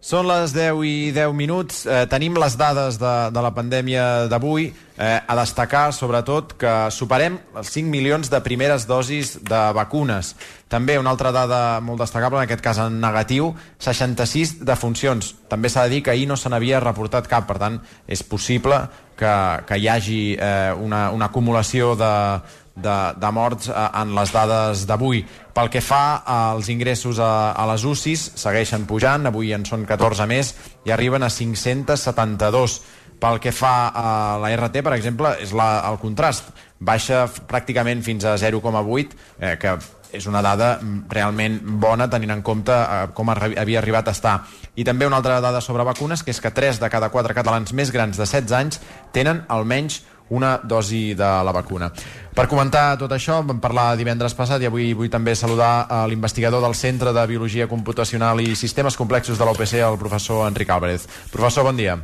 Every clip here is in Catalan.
Són les 10:10. Tenim les dades de la pandèmia d'avui. A destacar, sobretot, que superem els 5 milions de primeres dosis de vacunes. També una altra dada molt destacable, en aquest cas en negatiu, 66 defuncions. També s'ha de dir que ahir no se n'havia reportat cap, per tant, és possible que hi hagi una acumulació de morts en les dades d'avui. Pel que fa als ingressos a les UCIs, segueixen pujant, avui en són 14 més i arriben a 572. Pel que fa a la RT, per exemple, és el contrast. Baixa pràcticament fins a 0,8, que és una dada realment bona tenint en compte com havia arribat a estar. I també una altra dada sobre vacunes, que és que 3 de cada 4 catalans més grans de 16 anys tenen almenys una dosi de la vacuna. Per comentar tot això, vam parlar divendres passat i avui vull també saludar l'investigador del Centre de Biologia Computacional i Sistemes Complexos de la UPC, el professor Enric Álvarez. Professor, bon dia.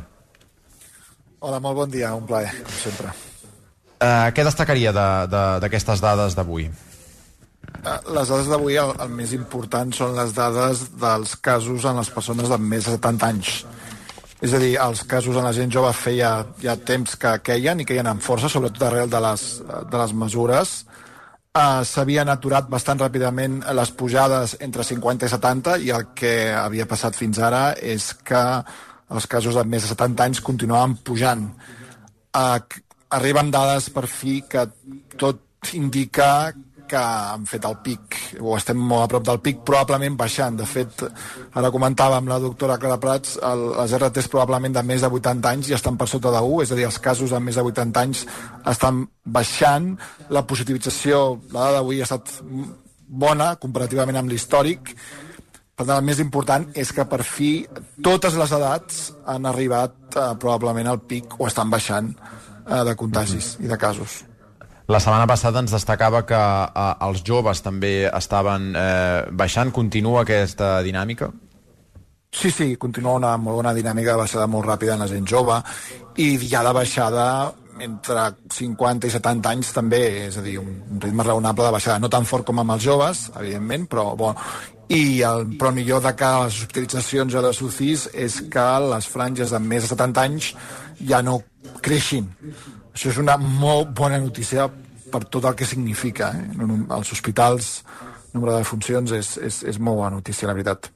Hola, molt bon dia, un plaer, com sempre. Què destacaria d'aquestes dades d'avui? Les dades d'avui, el més important són les dades dels casos en les persones de més de 70 anys. És a dir, els casos en la gent jove feia ja temps que queien i queien amb força, sobretot arrel de les mesures. S'havien aturat bastant ràpidament les pujades entre 50 i 70 i el que havia passat fins ara és que els casos de més de 70 anys continuaven pujant. Arriben dades per fi que tot indica que han fet el pic, o estem molt a prop del pic, probablement baixant. De fet, ara comentava amb la doctora Clara Prats, les RTs probablement de més de 80 anys ja estan per sota de 1, és a dir, els casos de més de 80 anys estan baixant. La positivització, la dada d'avui ha estat bona, comparativament amb l'històric. Per tant, el més important és que per fi totes les edats han arribat probablement al pic o estan baixant de contagis i de casos. La setmana passada ens destacava que els joves també estaven baixant. Continua aquesta dinàmica? Sí, continua una molt bona dinàmica de baixada molt ràpida en la gent jove i ja de baixada entre 50 i 70 anys també, és a dir, un ritme raonable de baixada, no tan fort com amb els joves, evidentment, però bon. Però millor de cara a les hospitalitzacions a les UCIs és que les franges de més de 70 anys ja no creixin. Això és una molt bona notícia per tot el que significa. Als hospitals, el nombre de defuncions és molt bona notícia, la veritat.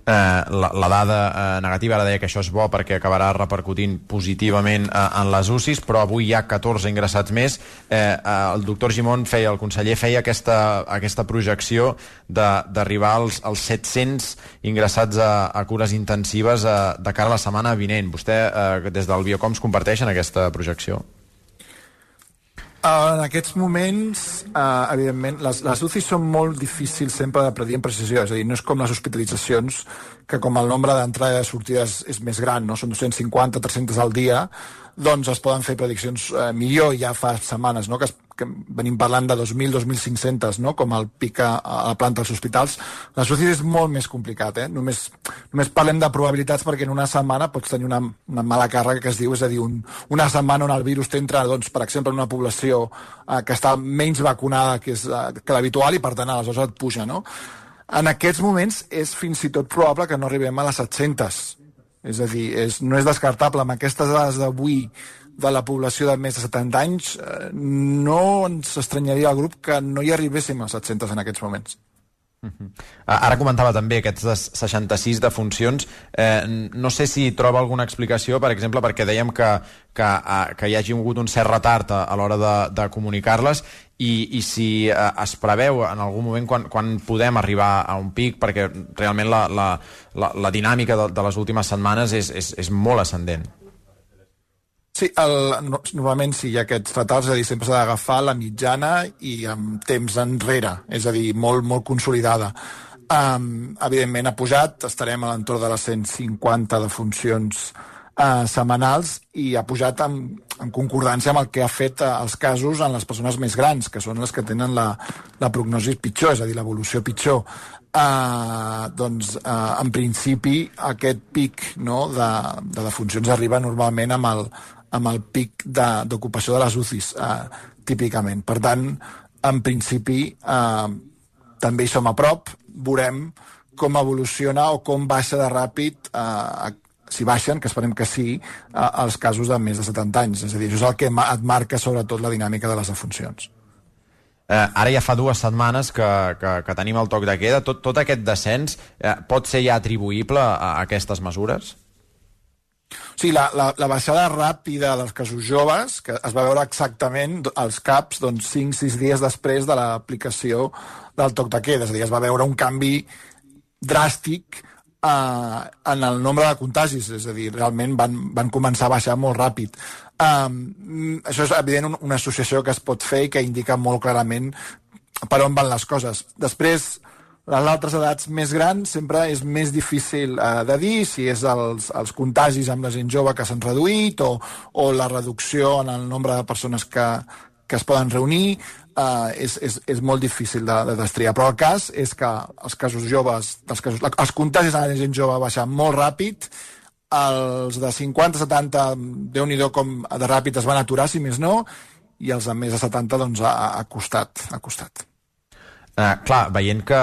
La dada negativa, ara deia que això és bo perquè acabarà repercutint positivament en les UCIs, però avui hi ha 14 ingressats més. El doctor Gimón el conseller feia aquesta projecció d'arribar als 700 ingressats a cures intensives de cara a la setmana vinent. Vostè, des del Biocoms, comparteixen aquesta projecció? En aquests moments, evidentment, les UCIs són molt difícils sempre de predir amb precisió, és a dir, no és com les hospitalitzacions, que com el nombre d'entrades i sortides és més gran, no? Són 250, 300 al dia, doncs es poden fer prediccions millor. Ja fa setmanes, no?, que venim parlant de 2.000, 2.500, no?, com el pic a la planta dels hospitals. Les UCIs és molt més complicat, només parlem de probabilitats perquè en una setmana pots tenir una mala càrrega que es diu, és a dir, una setmana on el virus t'entra, doncs, per exemple, en una població que està menys vacunada que l'habitual i, per tant, aleshores et puja, no? En aquests moments és fins i tot probable que no arribem a les 700. És a dir, no és descartable. Amb aquestes dades d'avui de la població de més de 70 anys, no ens estranyaria al grup que no hi arribéssim a 700 en aquests moments. Ara comentava també aquestes 66 defuncions. No sé si troba alguna explicació, per exemple, perquè dèiem que hi hagi hagut un cert retard a l'hora de comunicar-les i si es preveu en algun moment quan podem arribar a un pic, perquè realment la dinàmica de les últimes setmanes és molt ascendent. Sí, normalment sí, hi ha aquests retards, és a dir, sempre s'ha d'agafar la mitjana i amb temps enrere, és a dir, molt, molt consolidada. Evidentment ha pujat, estarem a l'entorn de les 150 defuncions setmanals i ha pujat en concordància amb el que ha fet els casos en les persones més grans, que són les que tenen la prognosi pitjor, és a dir, l'evolució pitjor. En principi aquest pic, no, de defuncions arriba normalment amb el pic d'ocupació de les UCIs, típicament. Per tant, en principi, també hi som a prop, veurem com evoluciona o com baixa de ràpid, si baixen, que esperem que sí, els casos de més de 70 anys. És a dir, això és el que et marca sobretot la dinàmica de les defuncions. Ara ja fa 2 setmanes que tenim el toc de queda. Tot aquest descens pot ser ja atribuïble a aquestes mesures? Sí, la baixada ràpida dels casos joves, que es va veure exactament als CAPs 5-6 dies després de l'aplicació del toc de queda. És a dir, es va veure un canvi dràstic en el nombre de contagis. És a dir, realment van començar a baixar molt ràpid. Això és evident una associació que es pot fer i que indica molt clarament per on van les coses. Després, les altres edats més grans sempre és més difícil de dir si és els contagis amb la gent jove que s'han reduït o la reducció en el nombre de persones que es poden reunir. És molt difícil de destriar, però el cas és que els casos joves, els contagis a la gent jove baixen molt ràpid, els de 50-70, Déu-n'hi-do com de ràpid es van aturar, si més no, i els de més de 70 doncs ha costat. Clar, veient que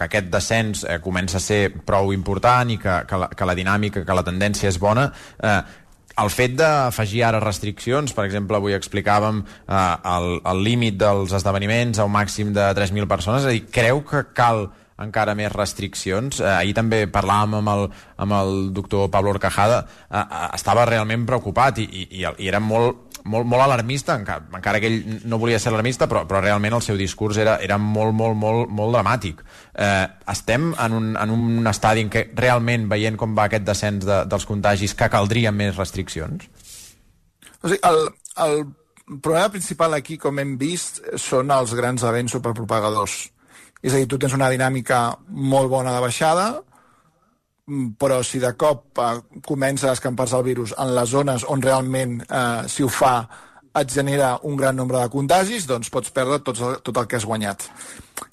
aquest descens comença a ser prou important i que la dinàmica, que la tendència és bona, el fet d'afegir ara restriccions, per exemple, avui explicàvem el límit dels esdeveniments a un màxim de 3.000 persones, és a dir, creu que cal encara més restriccions? Ahir també parlàvem amb el doctor Pablo Horcajada, estava realment preocupat i era molt alarmista, encara que ell no volia ser alarmista, però realment el seu discurs era molt dramàtic. Estem en un estadi en què realment, veient com va aquest descens dels contagis, que caldrien més restriccions? O sigui, el problema principal aquí, com hem vist, són els grans events superpropagadors. És a dir, tu tens una dinàmica molt bona de baixada, però si de cop comença a escampar-se el virus en les zones on realment, si ho fa, et genera un gran nombre de contagis, doncs pots perdre tot el que has guanyat.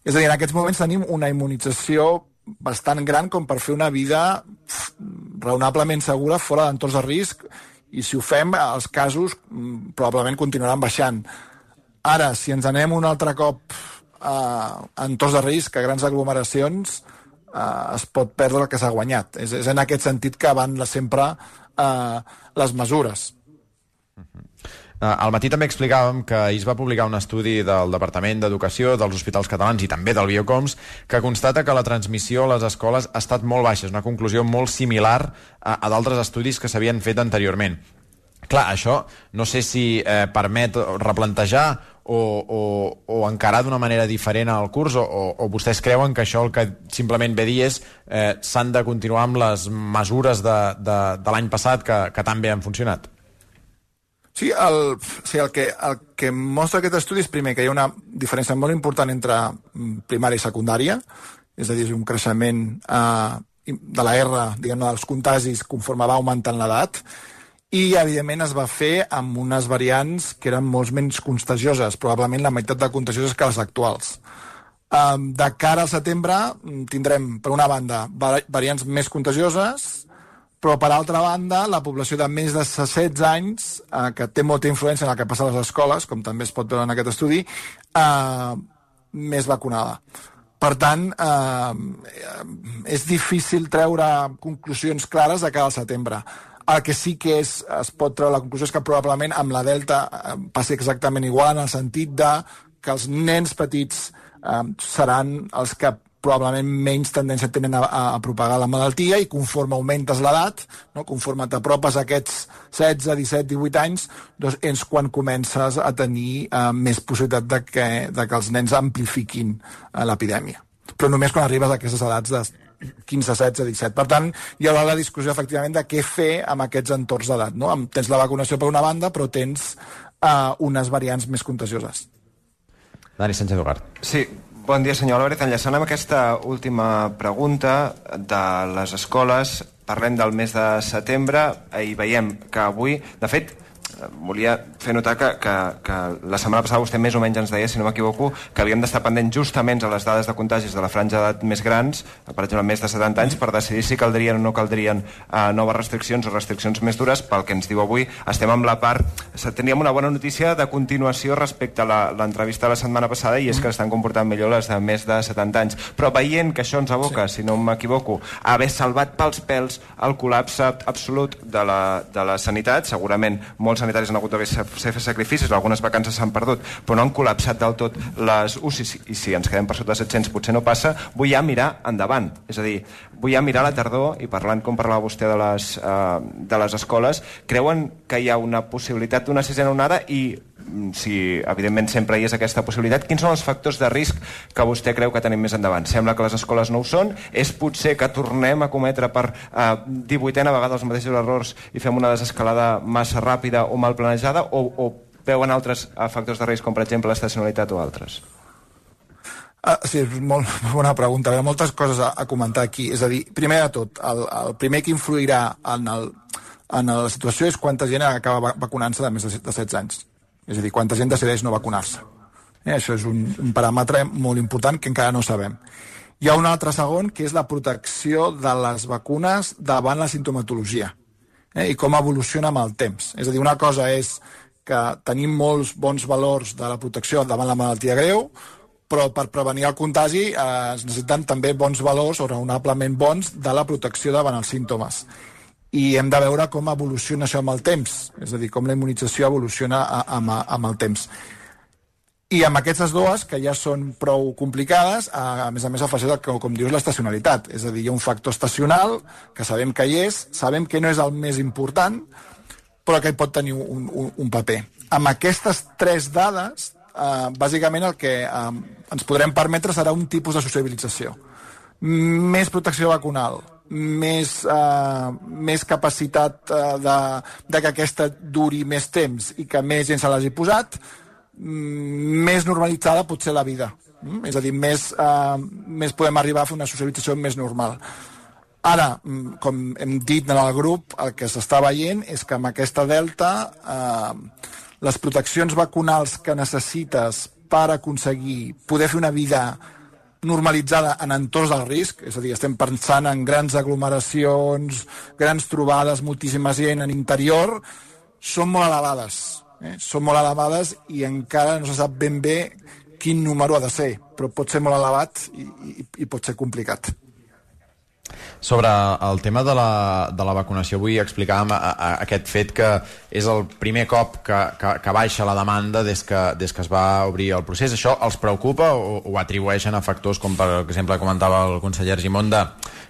És a dir, en aquests moments tenim una immunització bastant gran com per fer una vida raonablement segura fora d'entorns de risc, i si ho fem, els casos probablement continuaran baixant. Ara, si ens anem un altre cop a entorns de risc, a grans aglomeracions, es pot perdre el que s'ha guanyat. És en aquest sentit que van sempre les mesures. Al matí també explicàvem que ahir es va publicar un estudi del Departament d'Educació dels Hospitals Catalans i també del Biocoms que constata que la transmissió a les escoles ha estat molt baixa. És una conclusió molt similar a d'altres estudis que s'havien fet anteriorment. Clar, això no sé si permet replantejar o encarar d'una manera diferent al curs, o vostès creuen que això el que simplement ve a dir és s'han de continuar amb les mesures de l'any passat que tan bé han funcionat? Sí, el que mostra aquest estudi és, primer, que hi ha una diferència molt important entre primària i secundària, és a dir, un creixement de la R, diguem-ne, dels contagis conforme va augmentant l'edat, i, evidentment, es va fer amb unes variants que eren molt menys contagioses, probablement la meitat de contagioses que les actuals. De cara al setembre tindrem, per una banda, variants més contagioses, però, per altra banda, la població de més de 16 anys, que té molta influència en el que passa a les escoles, com també es pot veure en aquest estudi, més vacunada. Per tant, és difícil treure conclusions clares de cara al setembre. El que sí que es pot treure la conclusió és que probablement amb la Delta passi exactament igual, en el sentit que els nens petits seran els que probablement menys tendència tenen a propagar la malaltia, i conforme augmentes l'edat, no, conforme t'apropes a aquests 16, 17, 18 anys, doncs és quan comences a tenir més possibilitat de que els nens amplifiquin l'epidèmia. Però només quan arribes a aquestes edats de 15, 16, 17. Per tant, hi haurà la discussió, efectivament, de què fer amb aquests entorns d'edat. No? Tens la vacunació per una banda, però tens unes variants més contagioses. Dani Sánchez Ugart. Sí, bon dia, senyor Álvarez. Enllaçant amb aquesta última pregunta de les escoles, parlem del mes de setembre i veiem que avui, de fet, volia fer notar que la setmana passada vostè més o menys ens deia, si no m'equivoco, que havíem d'estar pendents justament a les dades de contagis de la franja d'edat més grans, per exemple, més de 70 anys, per decidir si caldrien o no caldrien noves restriccions o restriccions més dures. Pel que ens diu avui, estem amb la part... Teníem una bona notícia de continuació respecte a l'entrevista de la setmana passada, i és que estan comportant millor les de més de 70 anys. Però veient que això ens aboca, si no m'equivoco, a haver salvat pels pèls el col·lapse absolut de la sanitat, segurament molts sanitaris han hagut de fer sacrificis, algunes vacances s'han perdut, però no han col·lapsat del tot les UCIs, i si ens quedem per sota de 700 potser no passa. Vull ja mirar endavant, és a dir, vull ja mirar la tardor, i parlant com parlava vostè de les escoles, creuen que hi ha una possibilitat d'una sisena onada? I si evidentment sempre hi és aquesta possibilitat, quins són els factors de risc que vostè creu que tenim més endavant? Sembla que les escoles no ho són, és potser que tornem a cometre per 18a vegada els mateixos errors i fem una desescalada massa ràpida o mal planejada, o veuen altres factors de risc, com per exemple l'estacionalitat o altres? Sí, és molt bona pregunta. Hi ha moltes coses a comentar aquí. És a dir, primer de tot, el primer que influirà en la situació és quanta gent acaba vacunant-se de més de 16 anys. És a dir, quanta gent decideix no vacunar-se. Això és un paràmetre molt important que encara no sabem. Hi ha un altre segon, que és la protecció de les vacunes davant la sintomatologia, i com evoluciona amb el temps. És a dir, una cosa és que tenim molts bons valors de la protecció davant la malaltia greu, però per prevenir el contagi es necessiten també bons valors o raonablement bons de la protecció davant els símptomes. I hem de veure com evoluciona això amb el temps, és a dir, com la immunització evoluciona amb el temps. I amb aquestes dues, que ja són prou complicades, a més afegeix, com dius, l'estacionalitat. És a dir, hi ha un factor estacional, que sabem que hi és, sabem que no és el més important, però que hi pot tenir un paper. Amb aquestes tres dades, bàsicament el que ens podrem permetre serà un tipus de sociabilització. Més protecció vacunal, més capacitat de que aquesta duri més temps i que més gent se l'hagi posat, més normalitzada pot ser la vida. És a dir, més podem arribar a fer una socialització més normal. Ara, com hem dit en el grup, el que s'està veient és que amb aquesta delta les proteccions vacunals que necessites per aconseguir poder fer una vida normalitzada en entorns del risc, és a dir, estem pensant en grans aglomeracions, grans trobades, moltíssima gent en interior, són molt elevades. Són molt elevades i encara no se sap ben bé quin número ha de ser, però pot ser molt elevat i pot ser complicat. Sobre el tema de la vacunació, vull explicar aquest fet que és el primer cop que baixa la demanda des que es va obrir el procés. Això els preocupa o ho atribueixen a factors com, per exemple, comentava el conseller Argimon,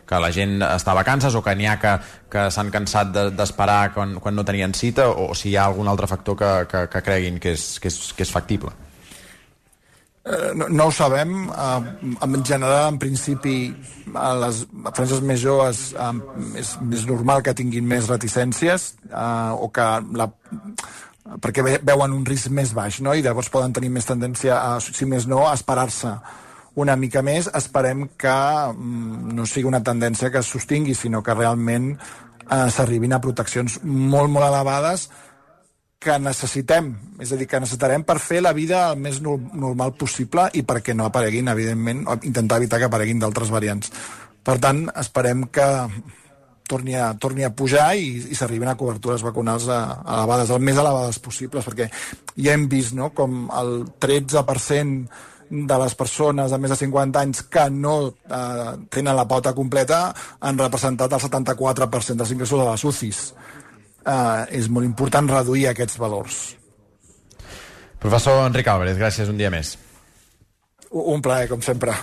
que la gent està a vacances o que n'hi ha que s'han cansat d'esperar quan no tenien cita, o si hi ha algun altre factor que creguin que és factible? No ho sabem. En general, en principi, a les franges més joves és més normal que tinguin més reticències o que perquè veuen un risc més baix, no? I llavors poden tenir més tendència si més no, a esperar-se una mica més. Esperem que no sigui una tendència que es sostingui, sinó que realment s'arribin a proteccions molt, molt elevades que necessitem, és a dir, que necessitarem per fer la vida el més normal possible i perquè no apareguin, evidentment, o intentar evitar que apareguin d'altres variants. Per tant, esperem que torni a pujar i s'arribin a cobertures vacunals elevades, el més elevades possibles, perquè ja hem vist, no?, com el 13% de les persones de més de 50 anys que no tenen la pauta completa han representat el 74% dels ingressos de les UCIs. És molt important reduir aquests valors. Professor Enric Álvarez, gràcies un dia més. Un plaer, com sempre.